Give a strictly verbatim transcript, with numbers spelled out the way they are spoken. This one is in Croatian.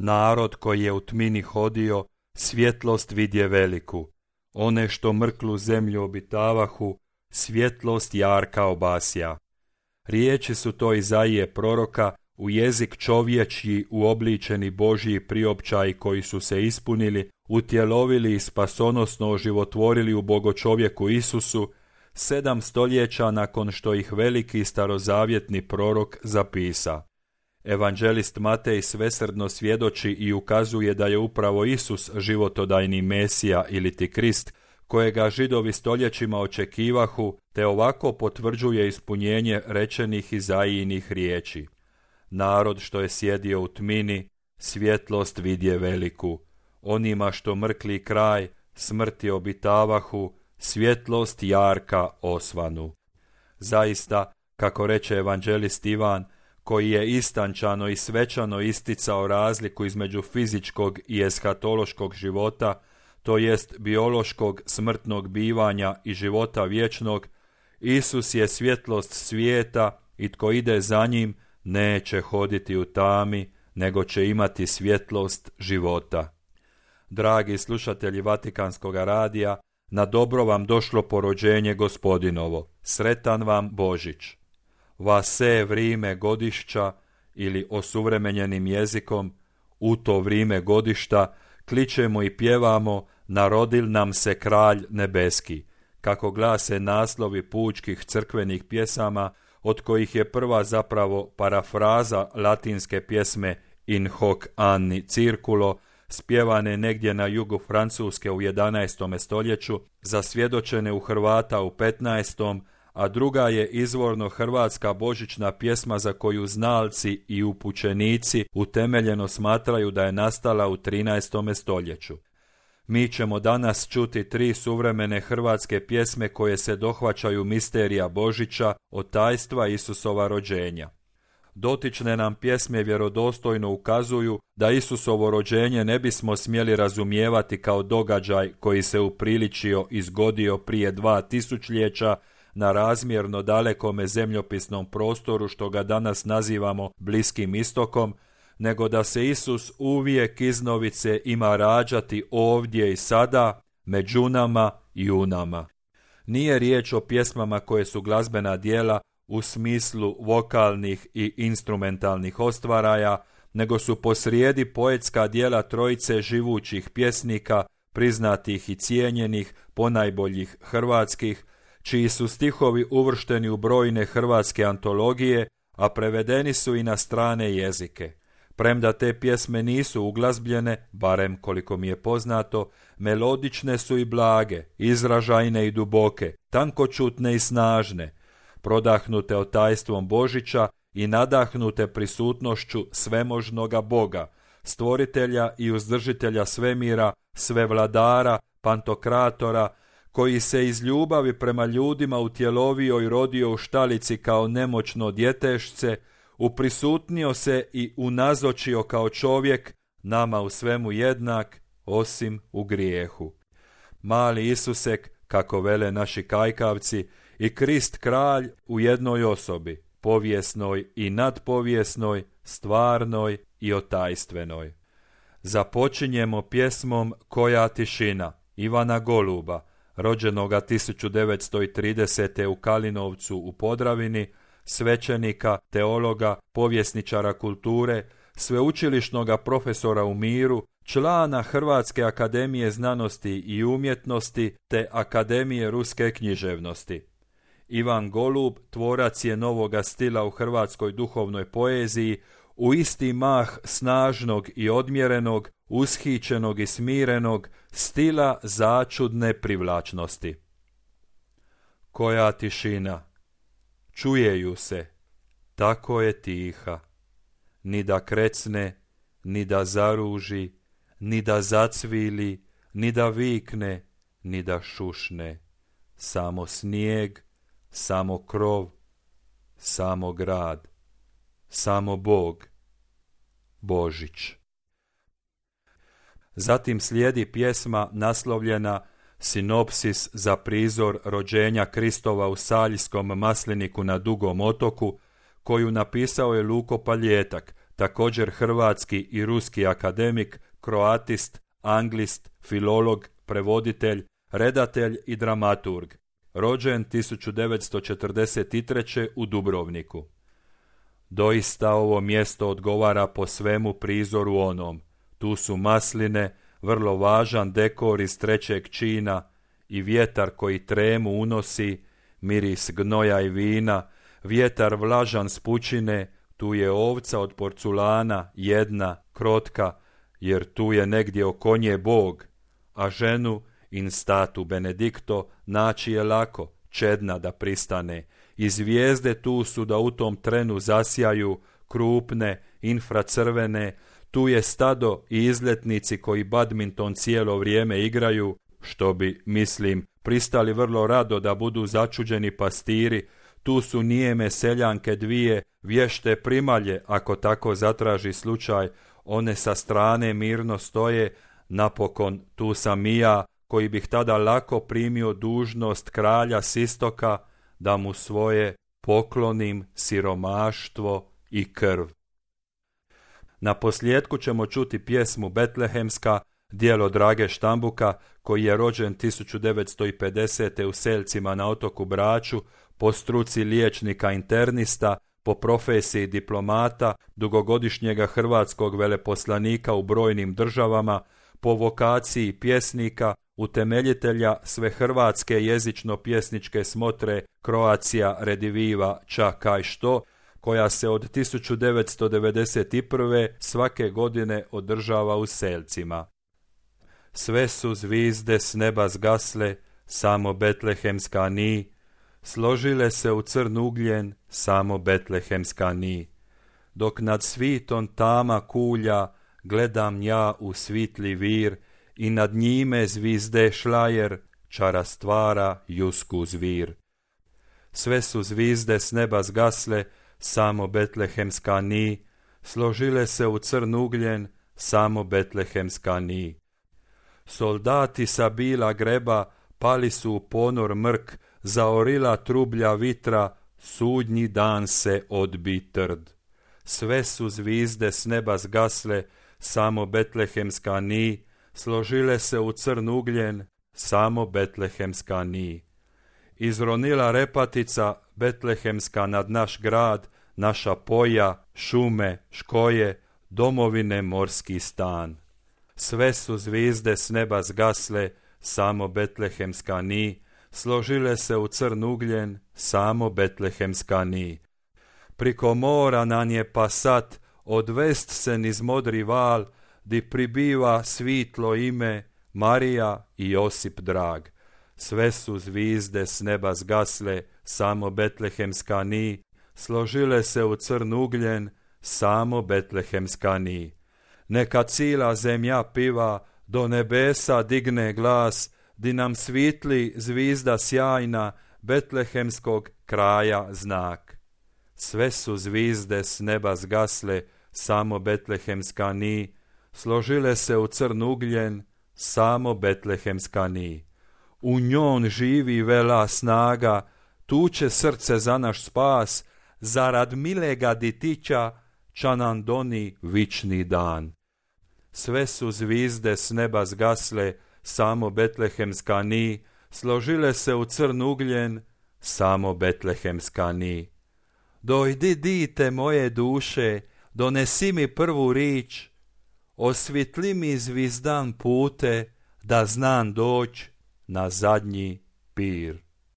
Narod koji je u tmini hodio, svjetlost vidje veliku. One što mrklu zemlju obitavahu, svjetlost jarka obasja. Riječi su to Izaije proroka, u jezik čovječji uobličeni Božji priopćaji koji su se ispunili, utjelovili i spasonosno oživotvorili u bogočovjeku Isusu, sedam stoljeća nakon što ih veliki starozavjetni prorok zapisa. Evanđelist Matej svesrdno svjedoči i ukazuje da je upravo Isus životodajni Mesija ili ti Krist, kojega Židovi stoljećima očekivahu, te ovako potvrđuje ispunjenje rečenih Izaijinih riječi. Narod što je sjedio u tmini, svjetlost vidje veliku. Onima što mrkli kraj, smrti obitavahu, svjetlost jarka osvanu. Zaista, kako reče evanđelist Ivan, koji je istančano i svečano isticao razliku između fizičkog i eskatološkog života, to jest biološkog smrtnog bivanja i života vječnog, Isus je svjetlost svijeta i tko ide za njim neće hoditi u tami, nego će imati svjetlost života. Dragi slušatelji Vatikanskog radija, na dobro vam došlo porođenje Gospodinovo. Sretan vam Božić. Vase vrime godišća ili osuvremenjenim jezikom u to vrime godišta kličemo i pjevamo Narodil nam se kralj nebeski, kako glase naslovi pučkih crkvenih pjesama, od kojih je prva zapravo parafraza latinske pjesme In hoc anni circulo, spjevane negdje na jugu Francuske u jedanaestom stoljeću, zasvjedočene u Hrvata u petnaestom, a druga je izvorno hrvatska božićna pjesma za koju znalci i upućenici utemeljeno smatraju da je nastala u trinaestom stoljeću. Mi ćemo danas čuti tri suvremene hrvatske pjesme koje se dohvaćaju misterija Božića, od tajstva Isusova rođenja. Dotične nam pjesme vjerodostojno ukazuju da Isusovo rođenje ne bismo smjeli razumijevati kao događaj koji se upriličio i zgodio prije dva tisućljeća na razmjerno dalekome zemljopisnom prostoru što ga danas nazivamo Bliskim istokom, nego da se Isus uvijek iznovice ima rađati ovdje i sada, među nama i u nama. Nije riječ o pjesmama koje su glazbena djela u smislu vokalnih i instrumentalnih ostvaraja, nego su posrijedi poetska djela trojice živućih pjesnika, priznatih i cijenjenih, ponajboljih hrvatskih, čiji su stihovi uvršteni u brojne hrvatske antologije, a prevedeni su i na strane jezike. Premda te pjesme nisu uglazbljene, barem koliko mi je poznato, melodične su i blage, izražajne i duboke, tankočutne i snažne, prodahnute otajstvom Božića i nadahnute prisutnošću svemožnoga Boga, stvoritelja i uzdržitelja svemira, svevladara, pantokratora, koji se iz ljubavi prema ljudima utjelovio i rodio u štalici kao nemoćno djetešce, uprisutnio se i unazočio kao čovjek, nama u svemu jednak, osim u grijehu. Mali Isusek, kako vele naši kajkavci, i Krist kralj u jednoj osobi, povijesnoj i nadpovijesnoj, stvarnoj i otajstvenoj. Započinjemo pjesmom Koja tišina Ivana Goluba, rođenoga tisuću devetsto tridesete. u Kalinovcu u Podravini, svećenika, teologa, povjesničara kulture, sveučilišnoga profesora u miru, člana Hrvatske akademije znanosti i umjetnosti te Akademije ruske književnosti. Ivan Golub tvorac je novoga stila u hrvatskoj duhovnoj poeziji, u isti mah snažnog i odmjerenog, ushićenog i smirenog, stila začudne privlačnosti. Koja tišina, čuje ju se, tako je tiha, ni da krecne, ni da zaruži, ni da zacvili, ni da vikne, ni da šušne, samo snijeg, samo krov, samo grad, samo Bog, Božić. Zatim slijedi pjesma naslovljena Sinopsis za prizor rođenja Kristova u Saljskom masliniku na Dugom otoku, koju napisao je Luko Paljetak, također hrvatski i ruski akademik, kroatist, anglist, filolog, prevoditelj, redatelj i dramaturg, rođen tisuću devetsto četrdeset treće. u Dubrovniku. Doista ovo mjesto odgovara po svemu prizoru onom. Tu su masline, vrlo važan dekor iz trećeg čina i vjetar koji tremu unosi, miris gnoja i vina, vjetar vlažan s pučine, tu je ovca od porculana, jedna, krotka, jer tu je negdje oko nje Bog, a ženu, in statu benedicto, naći je lako, čedna da pristane, i zvijezde tu su da u tom trenu zasjaju, krupne, infracrvene, tu je stado i izletnici koji badminton cijelo vrijeme igraju, što bi, mislim, pristali vrlo rado da budu začuđeni pastiri, tu su nijeme seljanke dvije, vješte primalje, ako tako zatraži slučaj, one sa strane mirno stoje, napokon tu sam i ja, koji bih tada lako primio dužnost kralja s istoka, da mu svoje poklonim siromaštvo i krv. Na posljedku ćemo čuti pjesmu Betlehemska, djelo Drage Štambuka, koji je rođen tisuću devetsto pedesete. u Selcima na otoku Braču, po struci liječnika internista, po profesiji diplomata, dugogodišnjega hrvatskog veleposlanika u brojnim državama, po vokaciji pjesnika, utemeljitelja svehrvatske jezično-pjesničke smotre Croatia Rediviva Ča kaj što, koja se od tisuću devetsto devedeset prve. svake godine održava u Selcima. Sve su zvizde s neba zgasle, samo betlehemska ni, složile se u crn ugljen, samo betlehemska ni. Dok nad svitom tama kulja, gledam ja u svitli vir, i nad njime zvizde šlajer, čara stvara jusku zvir. Sve su zvizde s neba zgasle, samo betlehemska ni, složile se u crn ugljen, samo betlehemska ni. Soldati sa bila greba, pali su u ponor mrk, zaorila trublja vitra, sudnji dan se odbi trd. Sve su zvizde s neba zgasle, samo betlehemska ni, složile se u crn ugljen, samo betlehemska ni. Izronila repatica betlehemska nad naš grad, naša poja, šume, škoje, domovine morski stan. Sve su zvizde s neba zgasle, samo betlehemska ni, složile se u crn ugljen, samo betlehemska ni. Priko mora nan je pasat, odvest se niz modri val, di pribiva svitlo ime, Marija i Josip drag. Sve su zvizde s neba zgasle, samo betlehemska ni, složile se u crn ugljen, samo betlehemska ni. Neka cila zemlja piva, do nebesa digne glas, di nam svitli zvizda sjajna, betlehemskog kraja znak. Sve su zvizde s neba zgasle, samo betlehemska ni, složile se u crn ugljen, samo betlehemska ni. U njon živi vela snaga, tuče srce za naš spas, zarad milega ditića, ča nam doni vični dan. Sve su zvizde s neba zgasle, samo betlehemska ni, složile se u crn ugljen, samo betlehemska ni. Dojdi dite moje duše, donesi mi prvu rič, osvitli mi zvizdan pute, da znam doć na zadnji pir.